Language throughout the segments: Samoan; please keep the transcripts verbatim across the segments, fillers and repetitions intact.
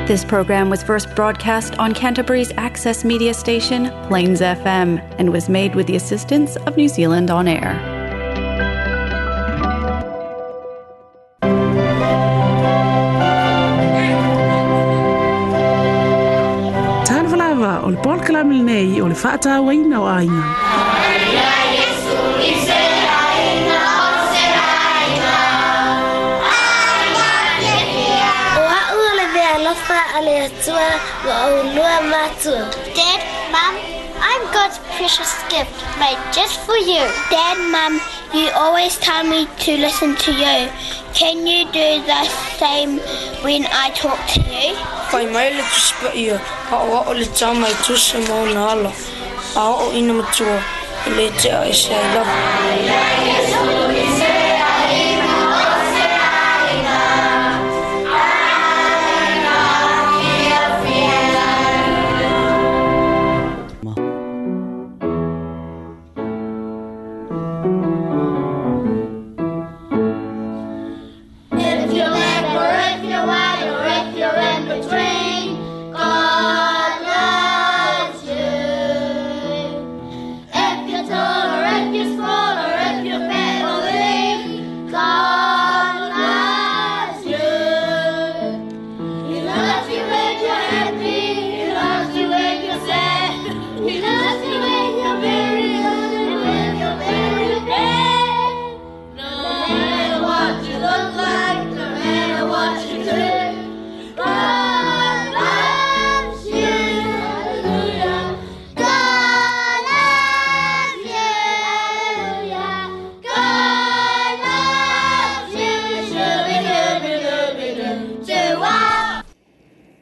This program was first broadcast on Canterbury's access media station, Plains F M, and was made with the assistance of New Zealand On Air. Talofa lava o le polokalame lenei o le faatauaina o aiga. Dad, Mum, I'm God's precious gift made just for you. Dad, Mum, you always tell me to listen to you. Can you do the same when I talk to you? Whai mai le tusipa ia, a o o le tāma i tusa mauna ala, a o ina matua, e le te a e se ai lava.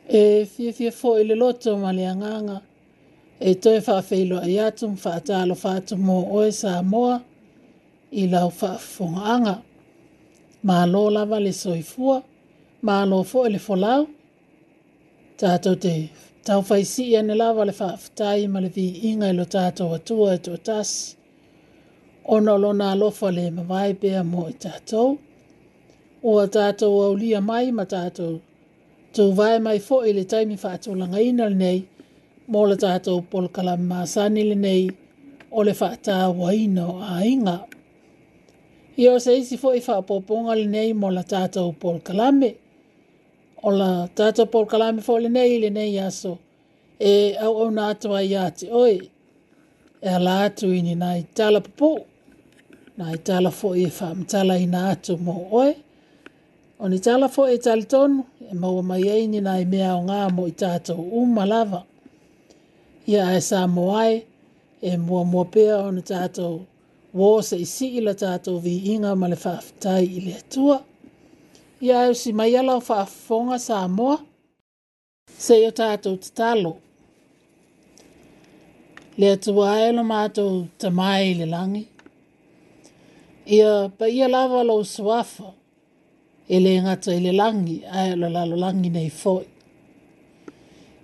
E fiafia foi le loto ma le agaga e toe faafeiloai atu ma faatalofa atu mo oe Samoa i lau faafofogaaga. Malo lava le soifua, malo foi le folau. Tatou te taufaisii ane lava le faafetai ma le viiga i lo tatou Atua e toatasi, ona o lona alofa le mavae pea mo i tatou. Ua tatou aulia mai ma tatou tuvae mai foi le taimi faatulagaina lenei mo le tatou polokalame masani lenei o le faatauaina o aiga. Ia o se isi foi faaopoopoga lenei mo la tatou polokalame. O la tatou polokalame foi lenei i lenei aso e auauna atu ai ia te oe e ala atu i ni nai tala pupuu, nai tala foi e faamatalaina atu mo oe. O ni tala foi e talitonu e maua mai ai ni nai mea aoga mo i tatou uma lava. Ia ae Samoa e, e muamua pea ona tatou uo seisii la tatou viiga ma le faafetai i le Atua. Ia ae usi mai lau faafofoga Samoa, se i o tatou tatalo. Le Atua e lo matou Tama i le lagi. Ia paia lava lou suafa, e le gata i le lagi, ae o le lalolagi nei foi.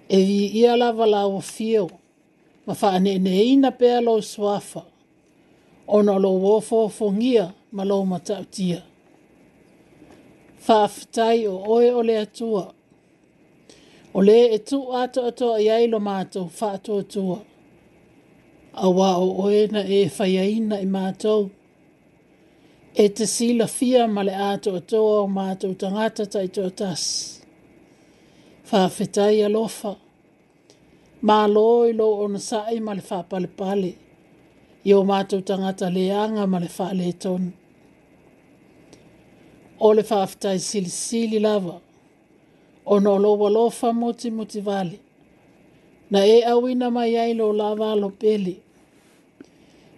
E viia lava lau afio, ma faaneeneina pea lou suafa, ona o lou ofoofogia ma lou matautia. Faafetai o oe o le Atua, o le e tuu atoatoa i ai lo matou faatuatua, auā o oe na e faiaina i matou. E te silafia ma le atoatoa o matou tagata taitoatasi. Faafetai alofa, malo i lou onosai ma le faapalepale, i o matou tagata leaga ma le faaletonu. O le faafetai silisili lava, ona o lou alofa mutimutivale, na e auina mai ai lou lava alo pele,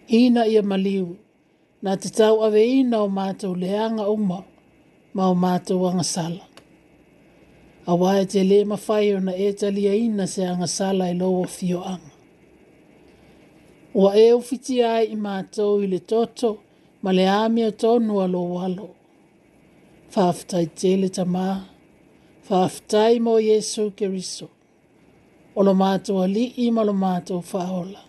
ina ia maliu, na te tauaveina o matou leaga uma ma o matou agasala. Auā e te lē mafai ona e taliaina se agasala i lou afioaga. Ua e ufitia ai i matou i le toto ma le amiotonu a lou alo. Faafetai tele Tamā, faafetai mo Iesu Keriso, o lo matou alii ma lo matou faaola.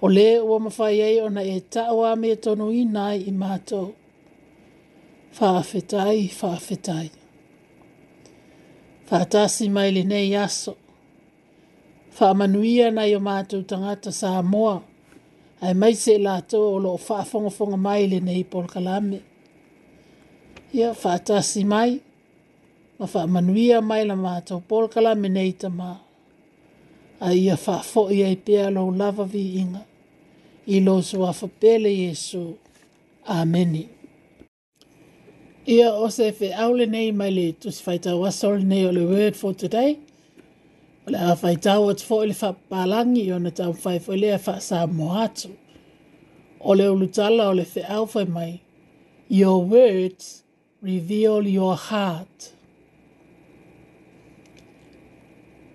O le ua mafai ai ona e tau amiatonuina ai i matou. Faafetai, faafetai. Faatasi mai lenei aso. Faamanuia nai o matou tagata Samoa, aemaise i latou o lo o faafogafoga mai lenei polokalame. Ia faatasi mai ma faamanuia mai la matou polokalame nei Tama. A ia faafoi ai pea lou lava viiga i lou suafa pele Iesu. Amene. Ia o se feau lenei mai le Tusi Faitau Aso lenei o le Word for Today. O le a faitau atu foi le faapapalangi ona taumafai foi lea faa-Samoa atu. O le ulutala o le feau fai mai, Your words reveal your heart.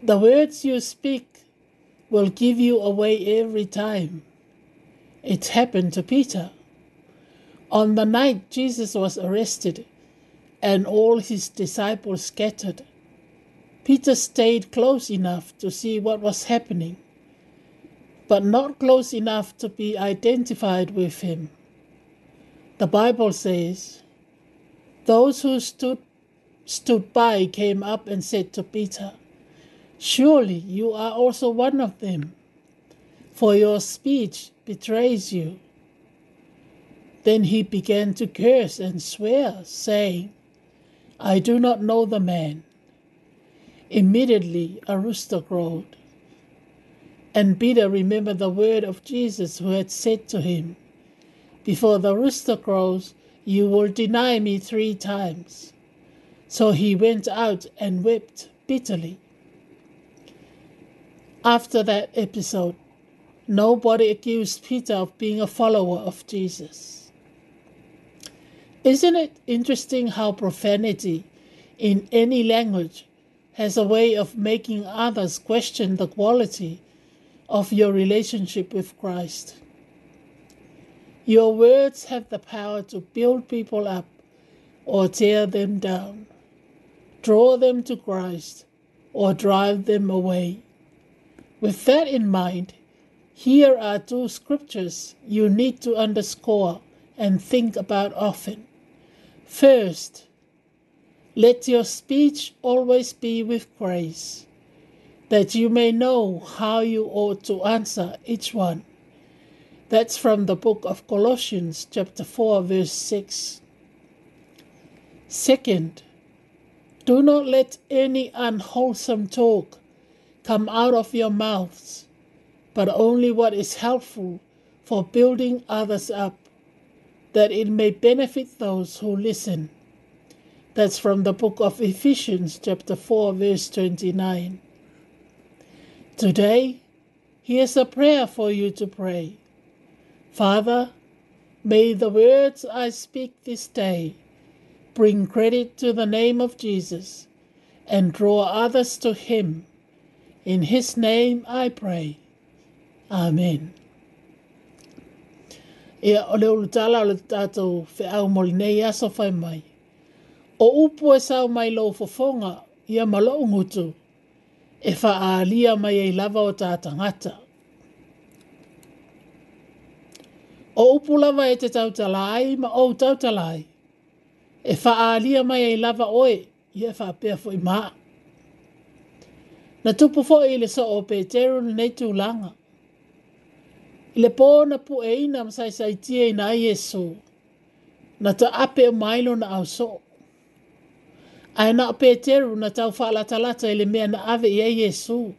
The words you speak will give you away every time. It happened to Peter. On the night Jesus was arrested and all his disciples scattered, Peter stayed close enough to see what was happening, but not close enough to be identified with him. The Bible says, those who stood, stood by came up and said to Peter, Surely you are also one of them, for your speech betrays you. Then he began to curse and swear, saying, I do not know the man. Immediately a rooster crowed. And Peter remembered the word of Jesus who had said to him, Before the rooster crows, you will deny me three times. So he went out and wept bitterly. After that episode, nobody accused Peter of being a follower of Jesus. Isn't it interesting how profanity in any language has a way of making others question the quality of your relationship with Christ? Your words have the power to build people up or tear them down, draw them to Christ or drive them away. With that in mind, here are two scriptures you need to underscore and think about often. First, let your speech always be with grace, that you may know how you ought to answer each one. That's from the book of Colossians, chapter four, verse six. Second, do not let any unwholesome talk come out of your mouths, but only what is helpful for building others up, that it may benefit those who listen. That's from the book of Ephesians, chapter four, verse twenty-nine. Today, here's a prayer for you to pray. Father, may the words I speak this day bring credit to the name of Jesus and draw others to him. In his name I pray. Amen. Ia o le ulutala o le tātou feau mo lenei aso fai mai. O upu e sau mai lou fofoga, ia ma lou gutu, e faaalia mai ai lava o tā tagata. O upu lava e te tautala ai ma ou tautala ai, e faaalia mai ai lava oe, ia e faapea foi maa. Na tupu foi i le soo o Peteru lenei tulaga. I le pō na pueina ma saisaitia ai Iesu, na taape o mai lona ausoo. Ae na o Peteru na tau faalatalata i le mea na ave i ai Iesu.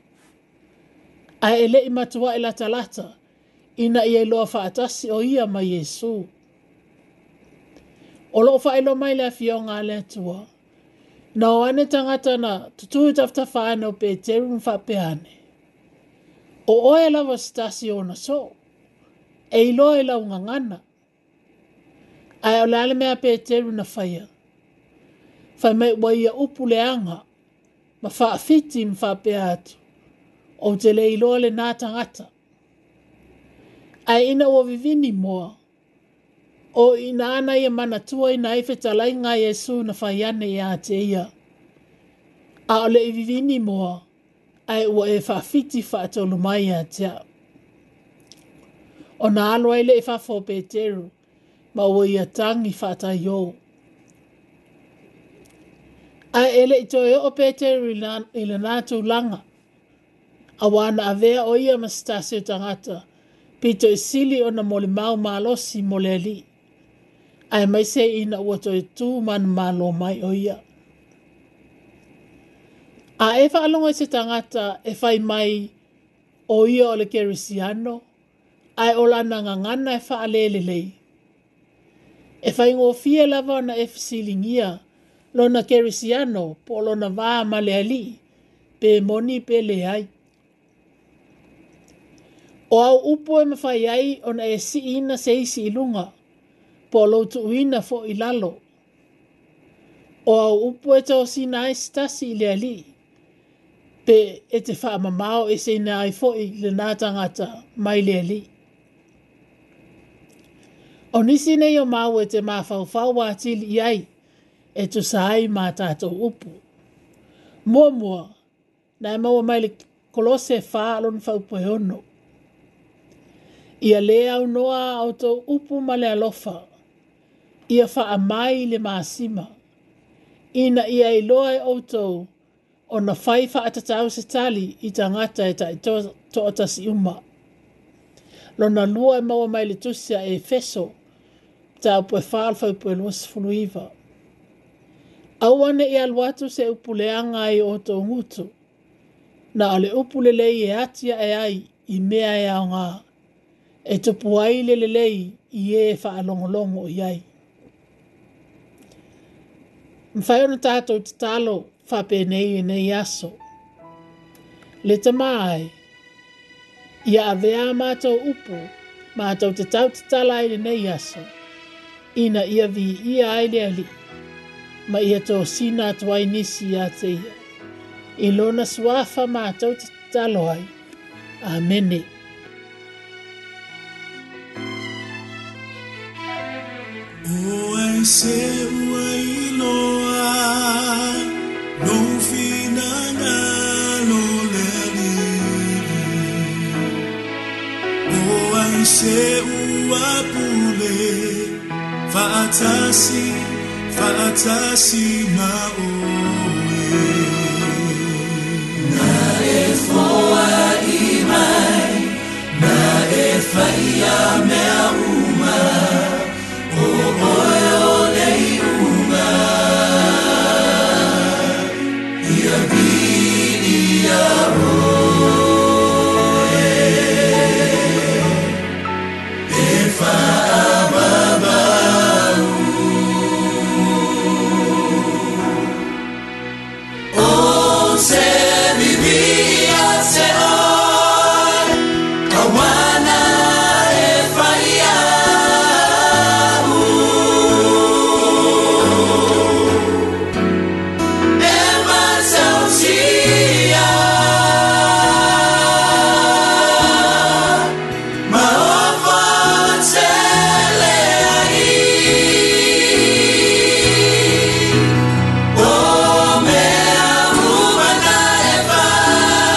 Ae e le'i matua'i latalata, ina ia iloa faatasi o ia ma Iesu. O loo faailoa mai le afioga a le Atua. Na o ane tagata na tutū i tafatafa ane o Peteru ma faapea ane. O oe lava se tasi o ona soo, e iloa i lau gagana. Ae o le a le mea Peteru na faia. Fai mai ua ia upu leaga, ma faafiti ma faapea atu, ou te le iloa lenā tagata. Ae ina ua vivini moa, o ina ana ia manatua ina ai fetalaiga a Iesu na fai ane iā te ia. A o le i vivini moa, ae ua e faafiti faatolu mai ia te au. Ona alo ai le i fafo o Peteru, ma ua ia tagi faataiō. Ae e le'i toe oo Peteru i lena tulaga, auā na avea o ia ma se tasi o tagata pito i sili ona molimau malosi mo le Alii, aemaise ina ua toe tu manumalo mai o ia. A e faalogo i se tagata e fai mai o ia o le Kerisiano, ae o lana gagana e faalelelei, e faigofie lava ona e fesiligia lona Kerisiano po o lona va ma le Alii, pe moni pe leai. O au upu e mafai ai ona e siina se isi i luga, po o lou tuuina fo'i i lalo. O au upu e tosina ai se tasi i le Alii, pe e te faamamao eseina ai fo'i lena tagata mai le Alii. O nisi nei o maua e te mafaufau atili i ai, e tusa ai ma tatou upu. Muamua, na e maua mai le Kolose fa lona faaupu e ono. Ia lē aunoa a outou upu ma le alofa, ia faamai le masima, ina ia iloa e outou ona fai faatatau se tali i tagata e taitoatasi uma. Lona lua e maua mai le tusi a Efeso, mataupu e fa o le faaupu e luasefulu iva. Aua ne'i alu atu se upu leaga ai o outou gutu, na o le upu lelei e ati ae ai i mea e aogā, e tupu ai le lelei i e faalogologo i ai. Mafai ona tatou tatalo faapenei i lenei aso. Le Tamā ai, ia avea a matou upu, matou te tautatala ai lenei aso, ina ia viia ai le Alii, ma ia tosina atu ai nisi ia te ia. I lona suafa matou te tatalo ai. Amene. O ai se ua iloa, lou finagalo le Alii. O ai se ua pule, faatasi, faatasi ma oe. Na e foai mai, na e whaia mea uma, o oe o le iuga. Ia viia oe, e whaamamau. O te vivia te oe, awana e whaia u. E matautia, ma ofa tele ai. O mea uma na e whai,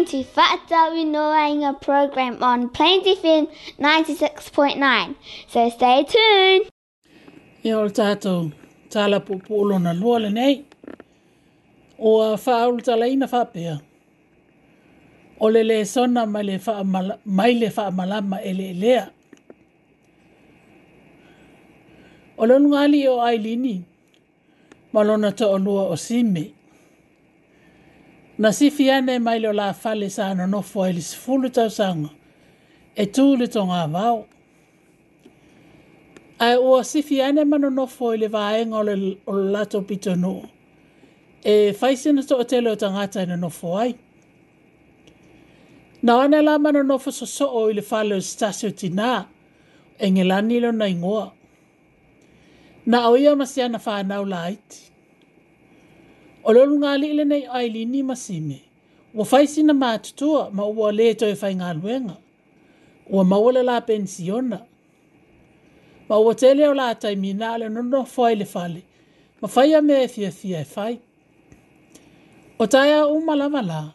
listening to Fa'atauinoaina program on Plains F M ninety-six point nine. So stay tuned. Ia o le tātou tala puupuu lona lua lenei. Ua faaulutalaina faapea. O le lesona mai le faamala, mai le faamalama eleelea. O le ulugalii o Ailini ma lona to'olua o Sime. Na sifi ane mai le o la fale sa nonofo ai le sefulu tausaga e tu le togavao. Ae ua sifi ane ma nonofo i le vaega o le, o le latou pitonuu e fai sina to'atele o tagata e nonofo ai. Na o ane la ma nonofo sosoo i le fale o se tasi o tinā, Engelani lona igoa. Na o ia ma siana whānau laiti. O le ulugalii lenei o Ailini ma Sime, ua fai sina matutua ma ua le toe faigaluega. Ua maua le la pensiona. Ma ua tele o la taimi na o le nonofo ai le fale, ma faia mea e fiafia e fai. O taeao uma lava la,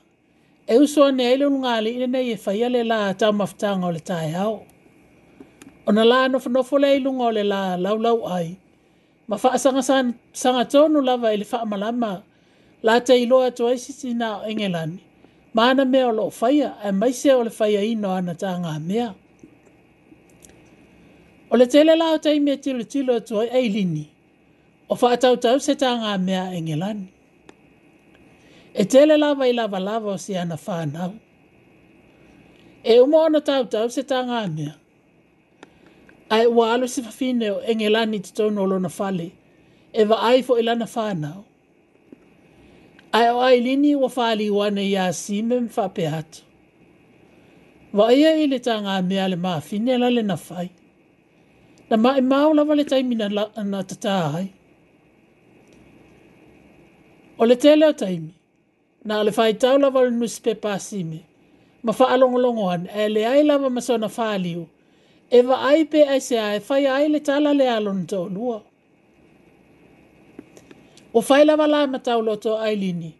e uso ane ai le ulugalii lenei e faia le la taumafataga o le taeao. Ona la nofonofo lea i luga o le la laulau ai, ma faasagasagatono lava i le faamalama la te iloa atu ai se tinā o Engelani, ma ana mea o loo faia, aemaise o le faiaina o ana tagamea. O le tele la o taimi e tilotilo atu ai Ailini, o faatautau se tagamea a Engelani. E tele lava i lavalava o si ana whānau. E uma ona tautau se tagamea. Ae ua alu se fafine o Engelani totonu o lona fale, e vaai fo'i lana whānau. Ae o Ailini ua whāliu ane iā Sime ma faapea atu. Vaia i le tagamea le mafine la le na fai. Na maimau lava le taimi na, la, na tatā ai. O le tele o taimi, na o le faitau lava o le newspaper a Sime, ma faalogologo ane, ae leai lava ma sona whāliu, e vaai pe aisea e faia ai le tala le a lona to'olua. Ua fai lava la ma tauloto o Ailini,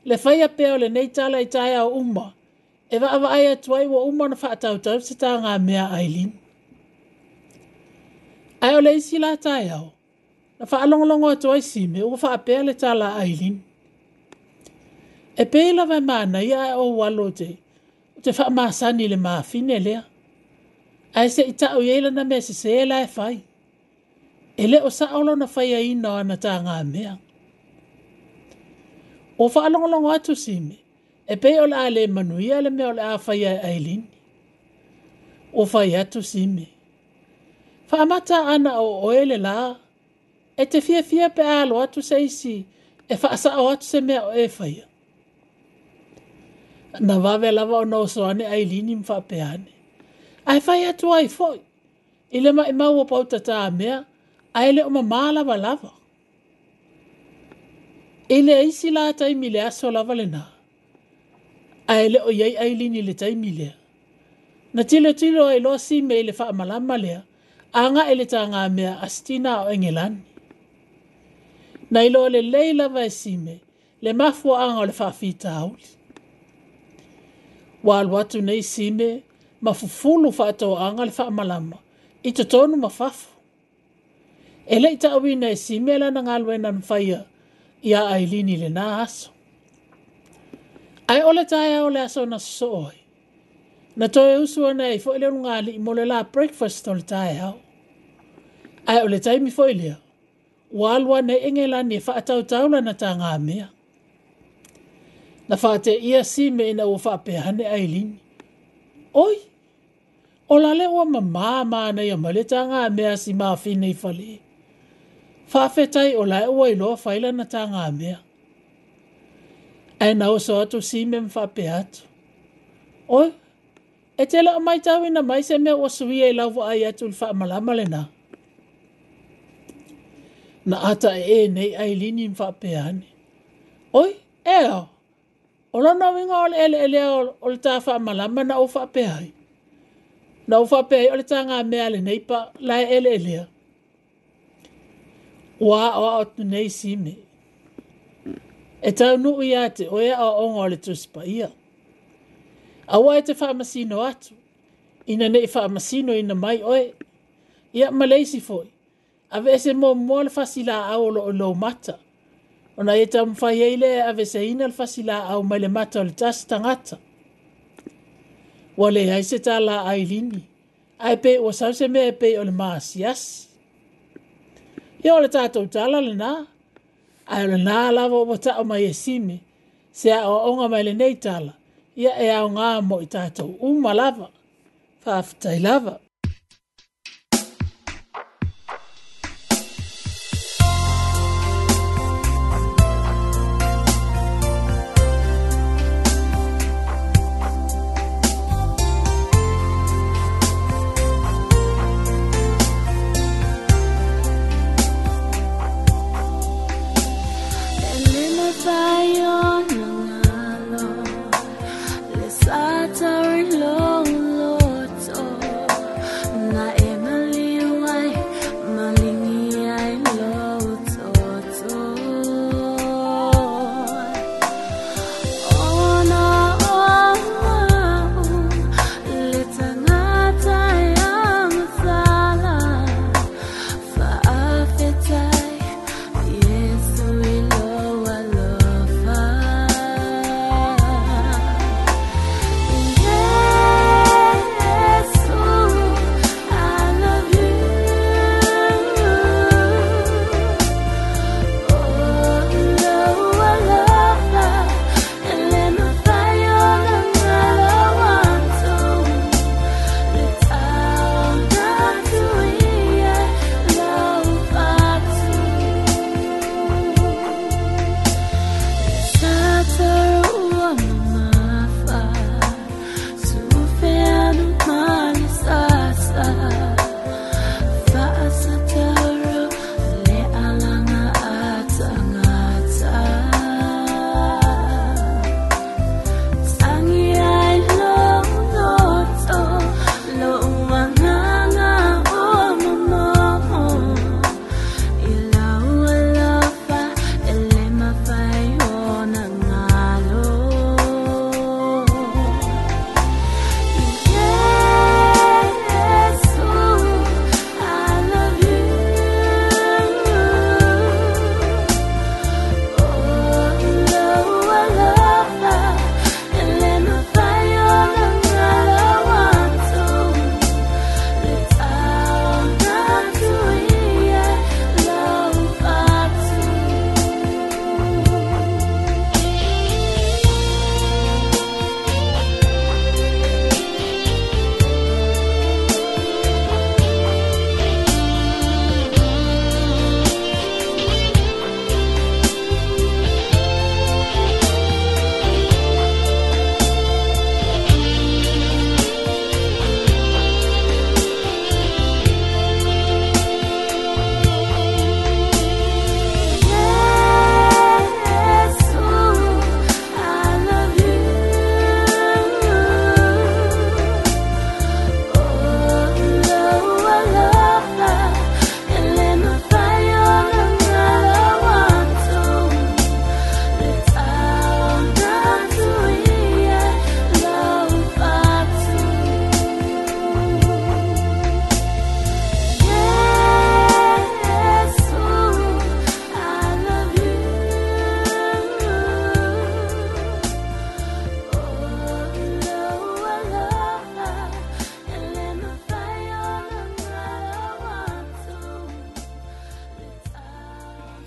le faia pea o lenei tala i taeao uma, e vaavaai atu ai ua uma ona faatautau se tagamea a Ailini. Ae o le isi la taeao, na faalogologo atu ai Sime ua faapea le tala a Ailini. E pei lava e manaia ae ou alo te, te faamasani i le mafine lea. Ae se i ta'u i ai lana mea sesē la e fai. E le o sa'o lona faiaina o ana tagamea. Ua faalogologo atu Sime, e pei o le a le manuia le mea o le a faia e Ailini. Ua fai atu Sime, faamata ana o oe le la, e te fiafia pe a alo atu se isi e faasa'o atu se mea o e faia. Na vave lava ona oso ane Ailini ma faapea ane. Ae fai atu ai fo'i, i le maimau o pautatā mea, ae le o mamā lava lava. I le isi la taimi le aso lava lenā, ae le o iai Ailini le taimi lea. Na tilotilo ai loa Sime i le faamalama lea, aga'i le tagamea a se tinā o Engelani. Na iloa lelei lava e Sime le mafuaaga o le faafitauli. Ua alu atu nei Sime ma fufulu faatoaga le faamalama i totonu ma fafo. E le'i ta'uina e Sime lana galuega na faia iā Ailini lenā aso. Ae o le taeao le aso na sosoo ai, na toe usu ane ai fo'i le ulugalii mo le la breakfast o le taeao. Ae o le taimi fo'i lea, ua alu ane ai Engelani e faatautau lana tagamea. Na faateia Sime ina ua faapea ane Ailini. Oi, o la le ua mamā manaia mai le tagamea a si mafine i fale. Faafetai o lae ua iloa fai lana tagamea. Ae na oso atu Sime ma faapea atu. Oi, e te le o maitauina mai se mea ua suia i lau vaai atu i le faamalama lenā. Na ata e e nei Ailini ma faapea ane. Oi, e ao, o lona uiga o le eleelea o le tā faamalama na ou faapea ai. Na ou faapea ai o le tagamea a lenei pa la e eleelea. Ua aoao atu nei Sime. E taunuu iā te oe aoaoga o le Tusi Paia. Aua e te faamasino atu, ina nei faamasino ina mai oe. Ia ma le isi foi, aveese muamua le fasilaau o loo i lou mata, ona e taumafai ai lea e aveeseina le fasilaau mai le mata o le tasi tagata. Ua leai se tala a Ailini, ae pei ua sau se mea e pei o le maasiasi. Ia o le tatou tala lena, ae o lena lava ua tau mai e Sime, se aoaoga mai lenei tala, ia e aoga mo i tatou uma lava. Faafetai lava.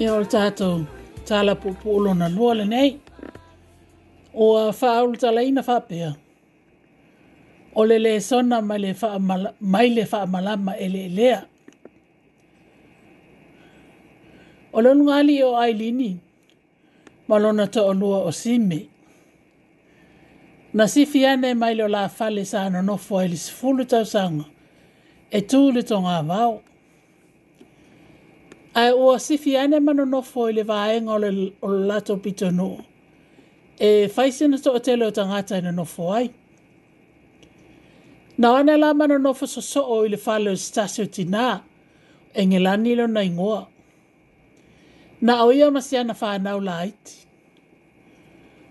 Ia o le tatou tala puupuu lona lua lenei. Ua faaulutalaina faapea, o le lesona mai le faamala, mai le faamalama eleelea. O le ulugalii o Ailini ma lona toalua o Sime. Na sifi ane mai le olafale sa nonofo ai le sefulu tausaga e tu le togavao. Ae ua sifi ane ma nonofo i le vaega o le, o le latou pitonuu e fai sina toatele o tagata e nonofo ai. Na o ane la ma nonofo sosoo i le fale o se tasi o tinā, e Ngelani lona igoa. Na o ia ma si ana whanau laiti.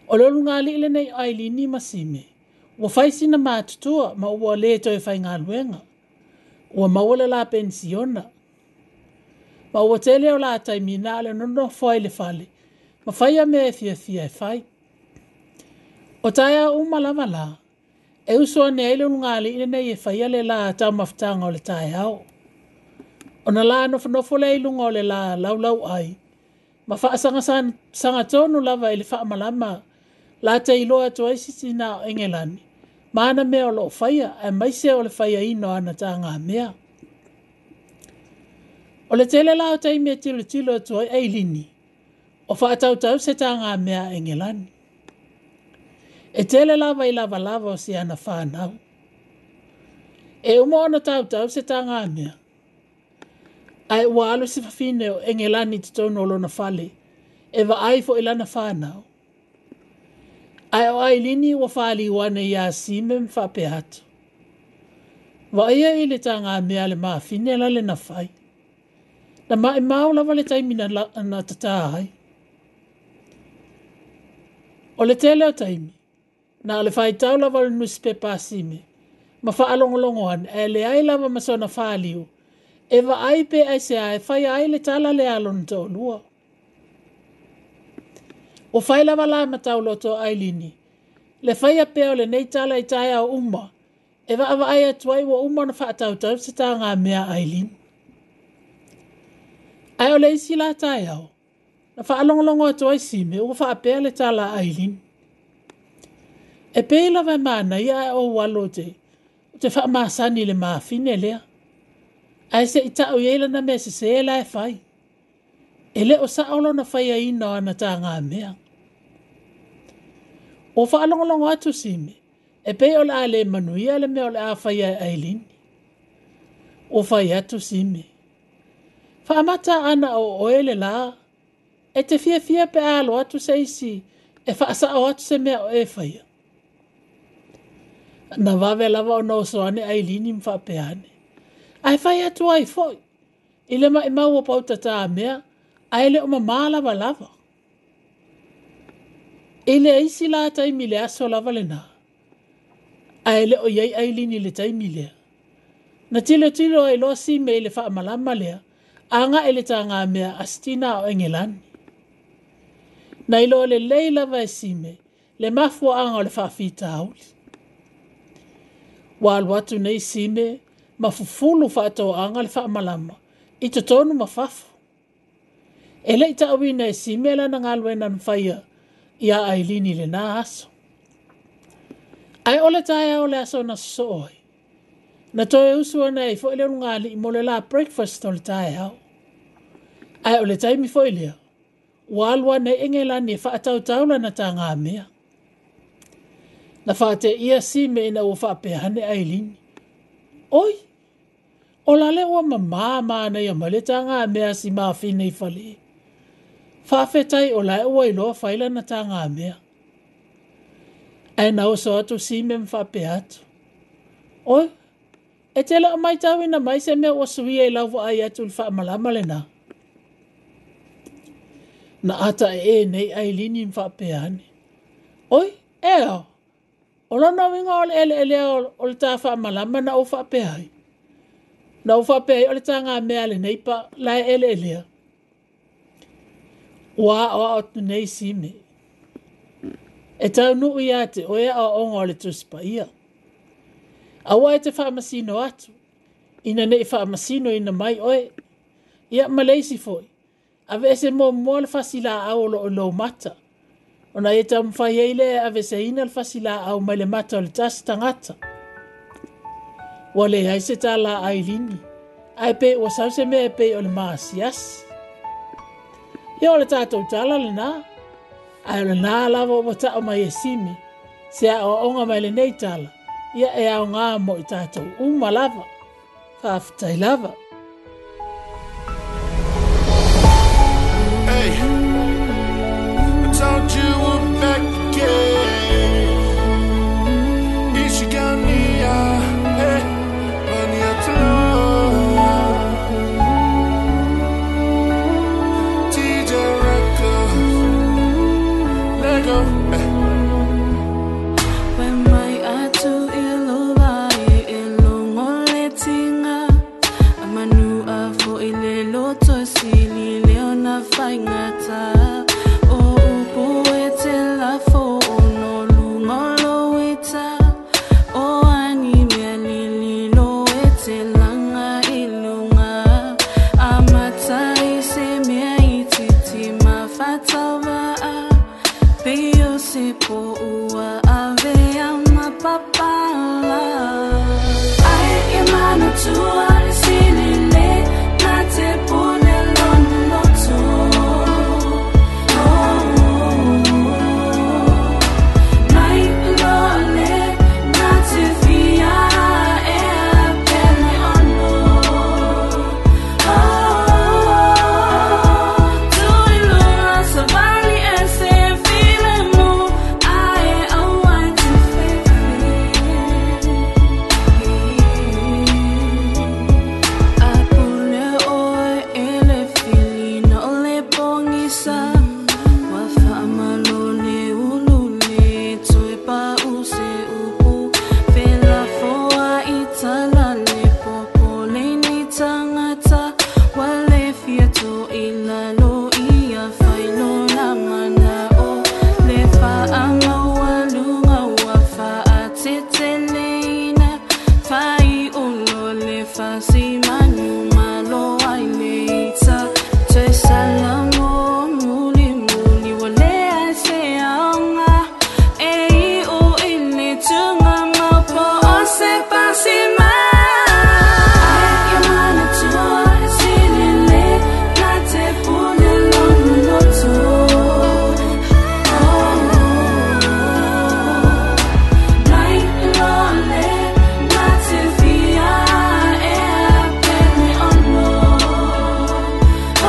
O le ulugalii lenei o Ailini ma Sime, Ua fai sina matutua ma ua le toe faigaluega. Ua maua le la penisiona. Ma ua tele o la taimi na o le nonofo ai i le fale ma faia mea e fiafia e fai. O taeao uma lava la, e uso ane ai le ulugalii lenei e faia le la taumafataga o le taeao. Ona la nofonofo lea i luga o le la laulauai ma faasagasagatonu lava i le faamalama la te iloa atu ai si tina o Engelani ma ana mea o loo faia aemaise o le faiaina o ana tagamea. O le tele la o taimi e tilotilo atu ai Ailini, o faatautau se tagamea a Engelani. E tele lava i lavalava o si ana whanau. E uma ona tautau se tagamea, ae ua alu si fafine o Engelani i totonu o lona fale, e vaai foi lana whanau. Ae o Ailini ua whaliu ane ia Sime ma faapea atu. Vaia i le tagamea le mafine la le na fai. Na maimau lava le taimi na, la, na tata ai. O le tele o taimi, na o le faitau lava o le nusipepa a Sime, ma faalogologo ane, ae leai lava ma sona whaliu, e vaai pe aisea e faia ai le tala lea a lona toalua. Ua fai lava la ma tauloto a Ailini, le faia pea o lenei tala i taeao uma, e vaavaai atu ai ua uma ona faatautau se tagamea a Ailini. Ae o le isi la taeao, na faalogologo atu ai Sime ua faapea le tala a Ailini. E pei lava e manaia ae ou alo te, te faamasani i le mafine lea. Ae se i tau i ai lana mea sese la e fai. E le o sao lona faiaina o ana tagamea. Ua faalogologo atu Sime, e pei o le a le manuia le mea o le a faia e Ailini. Ua fai atu Sime, faamata ana o oe le la, e te fiafia pe a alo atu se isi e faasao atu se mea o e faia. Na vave lava ona oso ane Ailini ma faapea ane. Ae fai atu ai foi, i le maimau o pautata mea, ae le o mamā lava lava. I le isi la taimi le aso lava lena, ae le o iai Ailini i le taimi lea. Na tilotilo ai loa Sime i le faamalama lea, agai i le tagamea a si tina o Engelani. Na iloa lelei lava e Sime le mafuaaga o le faafitauli. Ua alu atu nei Sime ma fufulu faatoaga le faamalama i totonu ma fafo. E le i tauina e Sime lana galuega na faia ia Ailini i lena aso. Ae o le taeao le aso na sosoo ai, na toe usu ane ai foi le ulugalii mo le la breakfast o le taeao. Ae o le taimi foi lea, ua alu ane ai Engelani e faatautau lana tagamea. Na faateia Sime ina ua faapea ane Ailini. Oi, o la le ua mamā manaia mai le tagamea a si mafine i fale. Faafetai o la e ua iloa fai lana tagamea. Ae na oso atu Sime ma faapea atu. Oi, e te le o maitauina mai se mea ua suia i lau vaai atu i le faamalama lena. Na ata e e nei Ailini ma faapea ane. Oi, e ao, o lona uiga o le eleelea o le tā faamalama na ou faapea ai. Na ou faapea ai o le tagamea a lenei pa la e eleelea. Ua aoao atu nei Sime. E taunuu ia te oe aoaoga o le Tusi Paia. Aua e te faamasino atu, ina nei faamasino ina mai oe. Ia ma le isi foi, aveese muamua le fasilaau o loo i lou mata. Ona e taumafai ai lea e aveseina le fasilaau mai le mata o le tasi tagata. Ua leai se tala a Ailini, ae pe ua sau se mea e pei o le maasiasi. Ia o le tatou tala lena, ae o lena lava ua tau mai e Sime, se aoaoga mai lenei tala, ia e aoga mo i tatou uma lava. Faafetai lava. Hey, I told you we're back again. Ishigania, hey, Maniatlo. T J Records, let go. When my faigata O upu e te lafo o no lunga o lou ita O ani mea lililo e te laga i luga Amata i se mea itiiti ma faatauvaa Pei o se poua avea ma papala Ai e manatua le silile na te pule lona loto Oh, mai loa le na te fia e a pele ono Oh, tuiloa savali e se file mu ae aua te fefe A pule oe e le filina o le pogisa Ua faamalo le ulu le toe pau se upu Felafoa i tala le popo le ni tagata Ua le fia to'i lalo ia whailo la mana o Le faamaualuga ua faateteleina Faiulo le fasimanu malo ai le ita Toe salamo mulimuli ua leai se aoga E iu i le tugamau po o se pasima Ai e manatua le silile na te pule lona loto Oh, mai loa le na te fia e a pele ono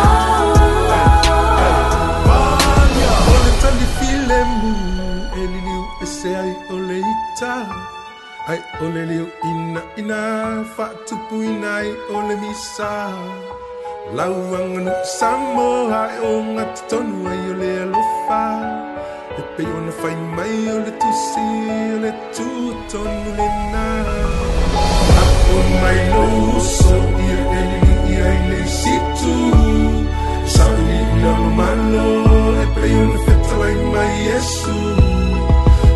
Oh, O le tali filemu e liliu e se ai o le ita Ai o le liu ina ina faatupuina ai o le misa Lauaganu Samoa e o gatotonu ai o le alofa E pei ona fai mai o le tusi o le tutonu lena Apo mai lou uso ia e lilii ai le isitu Sailiili malo e pei ona fetalai mai Iesu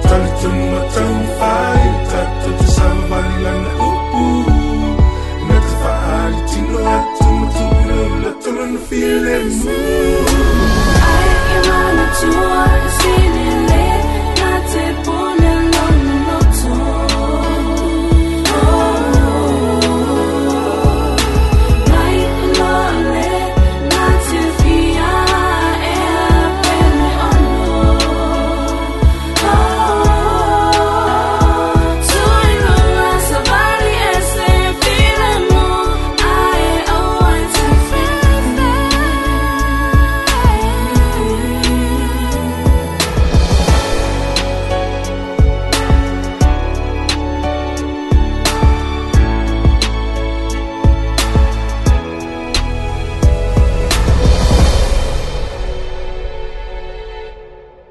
Talitonu ma taumafai tatou te savavali lana upu Na te faalitino atu ma tuuina o loto lona filemu Ai e manatua le silile na te pule lona loto Oh, mai loa le na te fia e a pele ono Oh, tuiloa savali e se file mu ae aua te fefe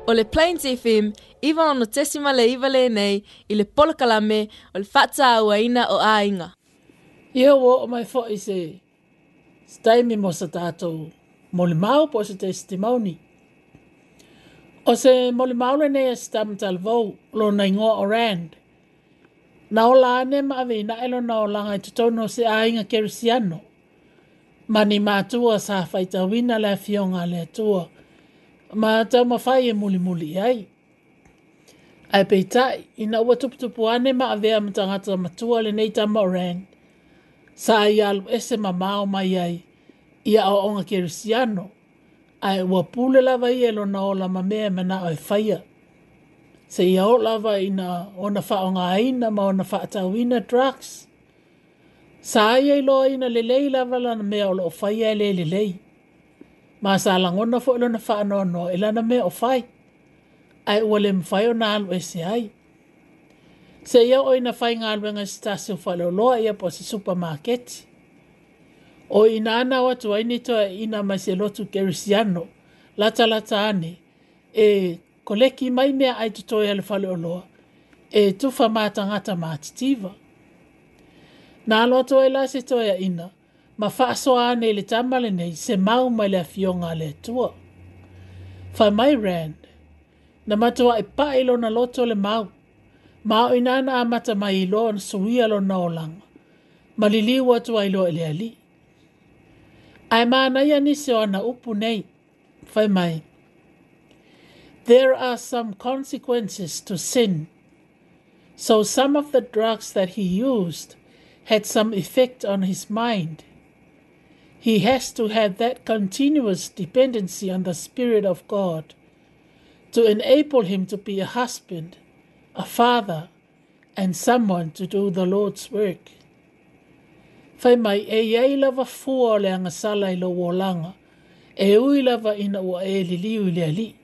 O le Plains F M, iwa ono tesima le iwa lenei, i le polokalame o le faatauaina o aiga. Ia ua oo mai fo'i se se taimi mo sa tatou molimau po o se testimony. O se molimau lenei a se tamatalavou lona igoa o Rand. Na ola ane ma aveinaʻe lona olaga i totonu o se aiga kerisiano. Ma ni matua sa faitauina le afioga a le Atua. Ma taumafai e mulimuli i ai. Ae peitai, ina ua tuputupu ane ma avea ma tagata matua lenei tama o Rand, sa ia alu ese mamao mai ai i aoaoga kerisiano, ae ua pule lava ia i lona ola ma mea e manao e faia. Seia oo lava ina ona faaaogāina ma ona faatauina drugs. Sa ia iloaina lelei lava lana mea o loo faia e le lelei. Ma sa lagona fo'i lona faanoanoa i lana mea o fai. Ae ua le mafai ona alu ese ai. Seia oo ina faigaluega i se tasi o faleoloa ia po o se supamaketi. O i ina na o atu ai ni toeaina mai se lotu kerisiano, latalata ane, e koleki mai mea ai totoe a le faleoloa, e tufa mā tagata matitiva. Na alo atu ai la se toeaina, Ma faasoa ane i le tama lenei se mau mai le afioga a le Atua. Fai mai Rand, na matuaʻi paʻi lona loto le mau, ma o ina na amata mai iloa ona suia lona olaga, ma liliu atu ai loa i le Alii. Ae manaia nisi o ana upu nei, fai mai, There are some consequences to sin. So some of the drugs that he used had some effect on his mind. He has to have that continuous dependency on the Spirit of God to enable him to be a husband, a father, and someone to do the Lord's work. Fai mai e iai lava fua o le agasala i lou olaga, e ui lava ina ua e liliu i le Alii.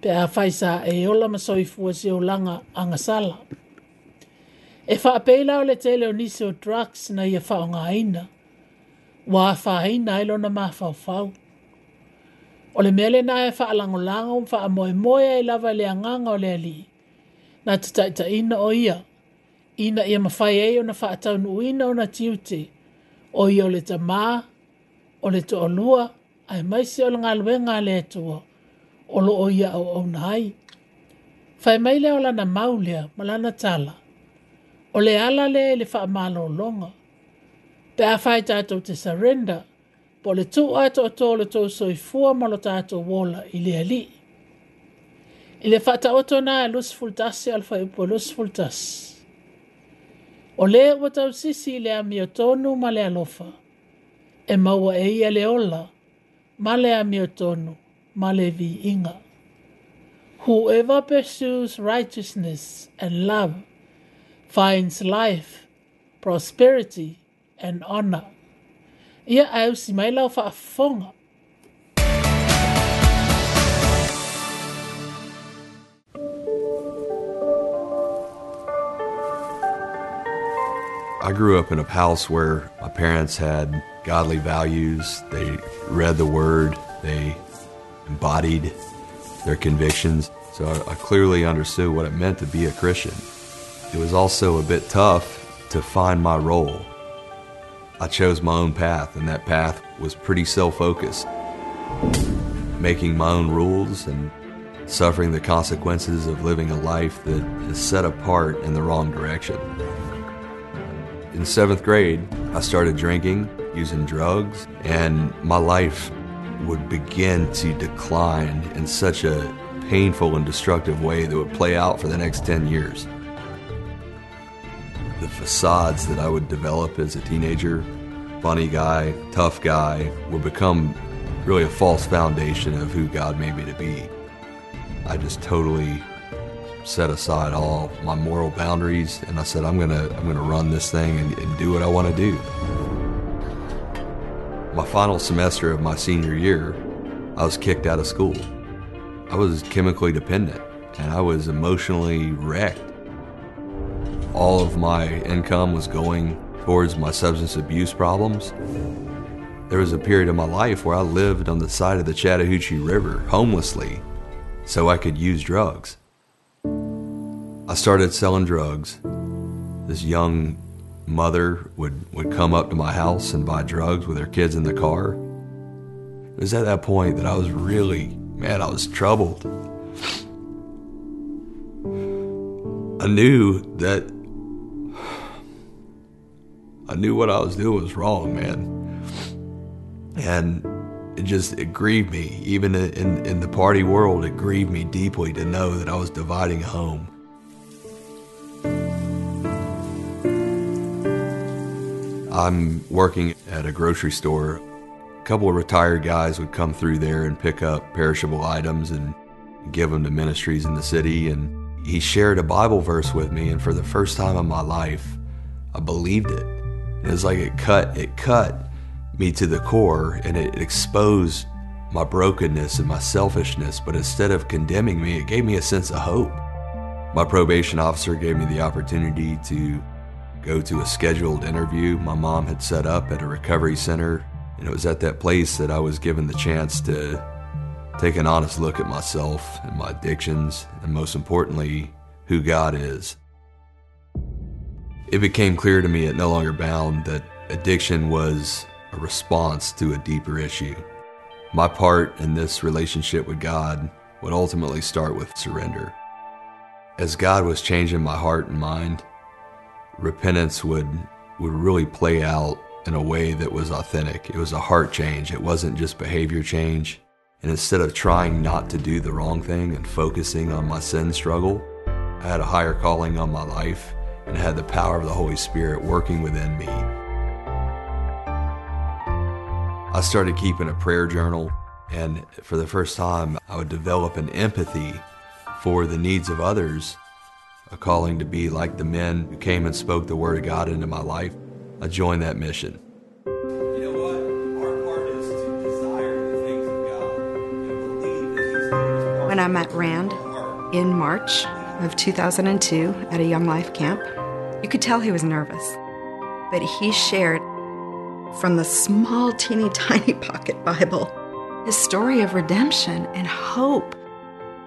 Pe afai sa e ola ma soifua se olaga agasala. E faapei la o le tele o nisi o drugs na ia faaaogaina, ua afaina ai lona mafaufau. O le mea lena e faalagolago ma faamoemoe ai lava i le agaga o le Alii, na te taitaiina o ia, ina ia mafai ai ona faataunuuina ona tiute, o ia o le tamā, o le toalua, aemaise o le galuega a le Atua, o loo ia auauna ai. Fai mai lea o lana mau lea ma lana tala, o le ala lea i le faamalologa. Pe afai tatou te surrender, po o le tuu atoatoa o le tou soifua ma lo tatou ola i le Alii. I le faataoto na e luasefulu tasi a le fuaiupu e luasefulu tasi. O le ua tausisi i le amiotonu ma le alofa, e maua e ia le ola ma le amiotonu ma le viiga. Whoever pursues righteousness and love finds life, prosperity, and honor. Ia ae usi mai lau faafofoga. I grew up in a house where my parents had godly values. They read the Word. They embodied their convictions. So I, I clearly understood what it meant to be a Christian. It was also a bit tough to find my role. I chose my own path, and that path was pretty self-focused. Making my own rules and suffering the consequences of living a life that is set apart in the wrong direction. In seventh grade, I started drinking, using drugs, and my life would begin to decline in such a painful and destructive way that would play out for the next ten years. The facades that I would develop as a teenager, funny guy, tough guy, would become really a false foundation of who God made me to be. I just totally set aside all my moral boundaries, and I said, I'm gonna, I'm gonna run this thing and, and do what I wanna do. My final semester of my senior year, I was kicked out of school. I was chemically dependent, and I was emotionally wrecked. All of my income was going towards my substance abuse problems. There was a period of my life where I lived on the side of the Chattahoochee River, homelessly, so I could use drugs. I started selling drugs. This young mother would, would come up to my house and buy drugs with her kids in the car. It was at that point that I was really, man, I was troubled. I knew that I knew what I was doing was wrong, man. And it just, it grieved me. Even in, in the party world, it grieved me deeply to know that I was dividing a home. I'm working at a grocery store. A couple of retired guys would come through there and pick up perishable items and give them to ministries in the city. And he shared a Bible verse with me, and for the first time in my life, I believed it. It was like it cut, it cut me to the core, and it exposed my brokenness and my selfishness, but instead of condemning me, it gave me a sense of hope. My probation officer gave me the opportunity to go to a scheduled interview my mom had set up at a recovery center, and it was at that place that I was given the chance to take an honest look at myself and my addictions, and most importantly, who God is. It became clear to me at No Longer Bound that Addiction was a response to a deeper issue. My part in this relationship with God would ultimately start with surrender. As God was changing my heart and mind, repentance would, would really play out in a way that was authentic. It was a heart change. It wasn't just behavior change. And instead of trying not to do the wrong thing and focusing on my sin struggle, I had a higher calling on my life and had the power of the Holy Spirit working within me. I started keeping a prayer journal, and for the first time, I would develop an empathy for the needs of others, a calling to be like the men who came and spoke the word of God into my life. I joined that mission. You know what? Our part is to desire the things of God and believe that He's given us When I met Rand in March of two thousand two at a Young Life camp, you could tell he was nervous, but he shared from the small, teeny, tiny pocket Bible his story of redemption and hope.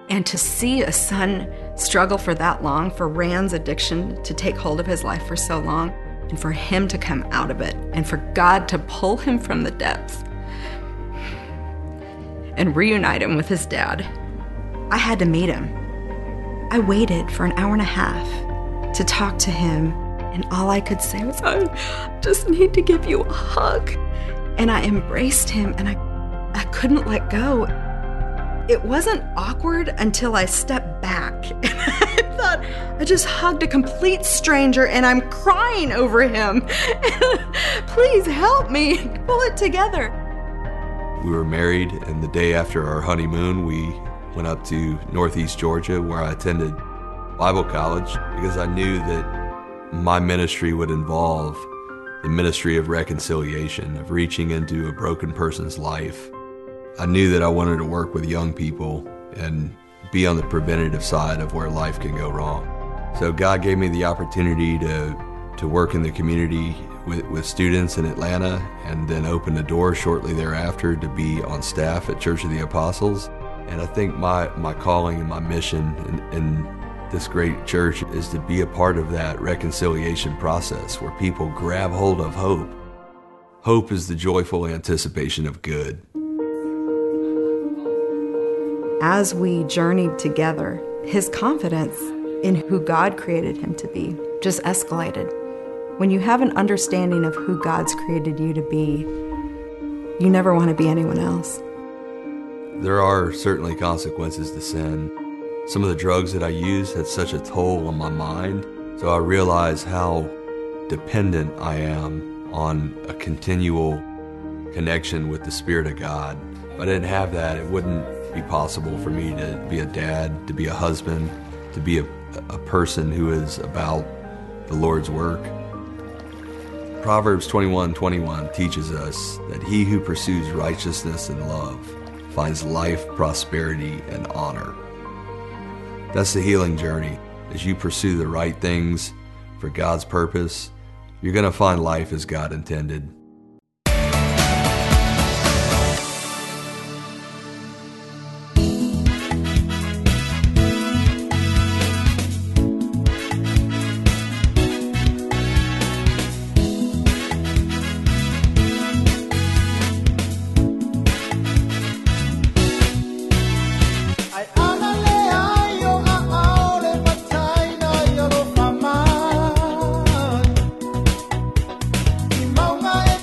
And to see a son struggle for that long, for Rand's addiction to take hold of his life for so long, and for him to come out of it, and for God to pull him from the depths and reunite him with his dad. I had to meet him. I waited for an hour and a half to talk to him, and all I could say was, I just need to give you a hug. And I embraced him, and I, I couldn't let go. It wasn't awkward until I stepped back. And I thought, I just hugged a complete stranger and I'm crying over him. Please help me pull it together. We were married, and the day after our honeymoon, we went up to Northeast Georgia, where I attended Bible college, because I knew that my ministry would involve the ministry of reconciliation, of reaching into a broken person's life. I knew that I wanted to work with young people and be on the preventative side of where life can go wrong. So God gave me the opportunity to, to work in the community with, with students in Atlanta, and then opened the door shortly thereafter to be on staff at Church of the Apostles. And I think my, my calling and my mission in, in this great church is to be a part of that reconciliation process where people grab hold of hope. Hope is the joyful anticipation of good. As we journeyed together, his confidence in who God created him to be just escalated. When you have an understanding of who God's created you to be, you never want to be anyone else. There are certainly consequences to sin. Some of the drugs that I used had such a toll on my mind, so I realized how dependent I am on a continual connection with the Spirit of God. If I didn't have that, it wouldn't be possible for me to be a dad, to be a husband, to be a, a person who is about the Lord's work. Proverbs twenty-one twenty-one teaches us that he who pursues righteousness and love finds life, prosperity, and honor. That's the healing journey. As you pursue the right things for God's purpose, you're gonna find life as God intended. Mama.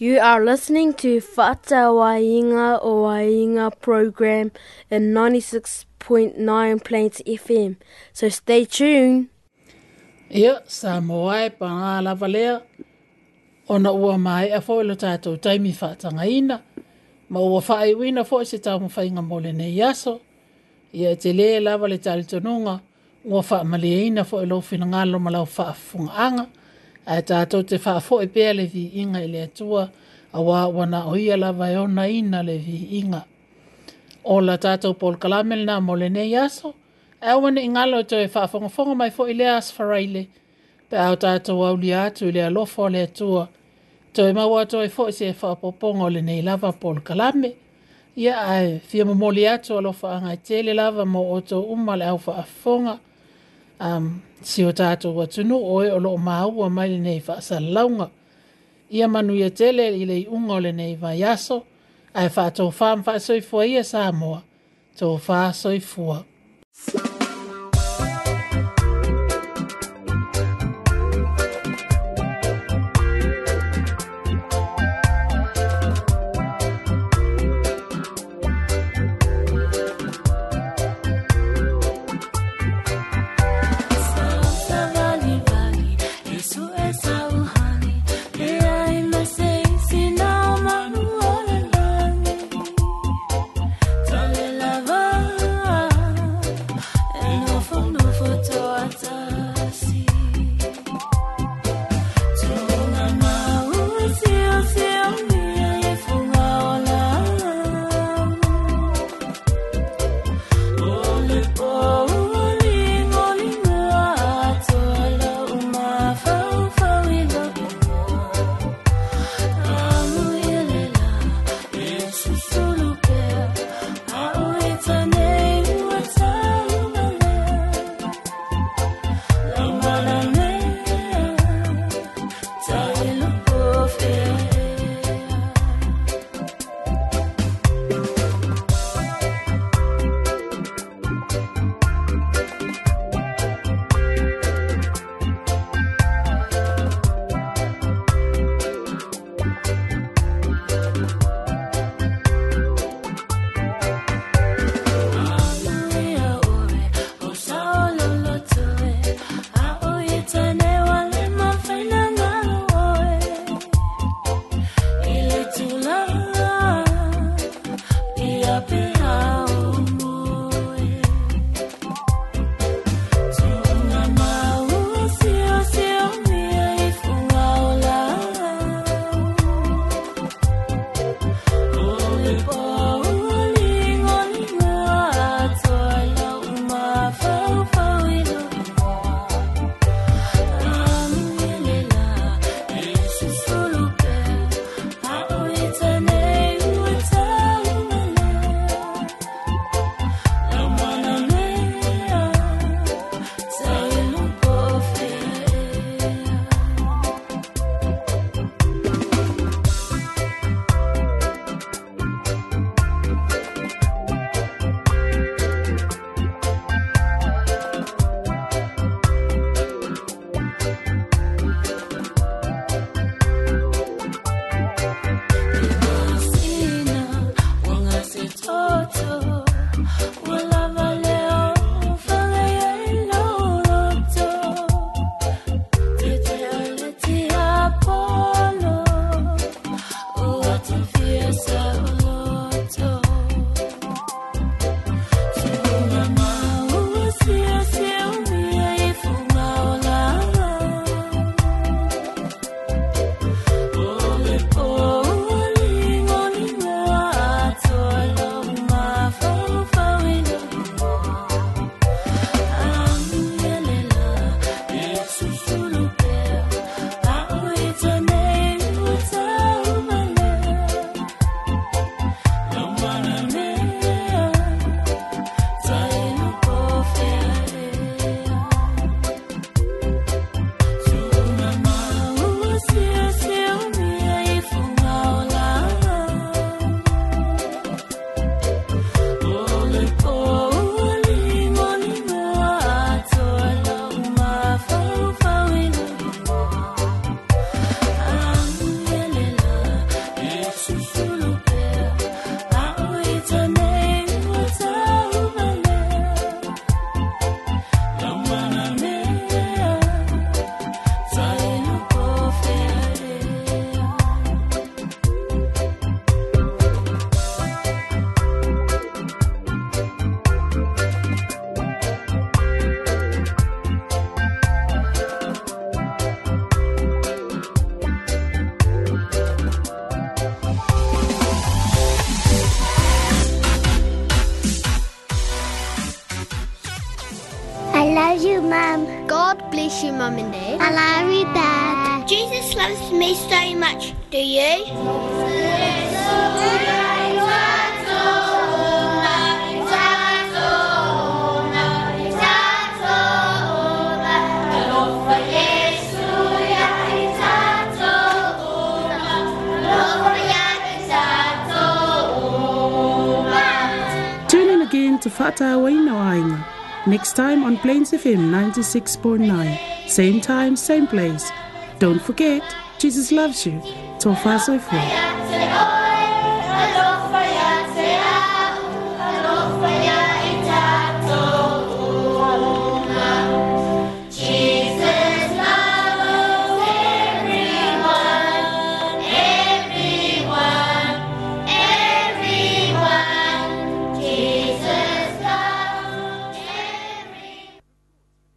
You are listening to Fa'atauaiga o Aiga program in ninety-six point nine Plains F M. So stay tuned. Ia, Samoa e pangā lava lea, ona ua maea foi lo tātou taimi whaatangaina, ma ua whaaiwina foi se taumawhainga mo lenei aso. Ia e te le lava le talitonunga, ua whaamaliaina foi lo whinangalo ma lau whaafungaanga, ae tātou te whaafoe pea le viinga i le Atua, a wā wana o ia lava e ona ina le viinga. O la tātou polokalame lena mo lenei aso, e aua ne i ngalo e toe whaafongafonga mai foi le as faraile, pe au tātou aulia atu i le alofa o le Atua, toe maua atu ai foi se whaapoponga o lenei lava polokalame. Ia ae fia momoli atu alofa anga e tele lava mo oto uma le au whaafonga, um, si o tātou atunu oe o loo maua mai lenei whaasalalaunga. Ia manuia tele i le iunga o lenei vaiaso, ae whaatō wha mwhaasoifua ia Samoa, tō whaasoifua. Susulu pea, a o e tane ua tau malea. Mum. God bless you, Mum and Dad. I love you, Dad. Jesus loves me so much. Do you? Tune in again to Fa'atauaina o Aiga next time on Plains F M ninety-six point nine. Same time, same place. Don't forget, Jesus loves you. Tofa soifua.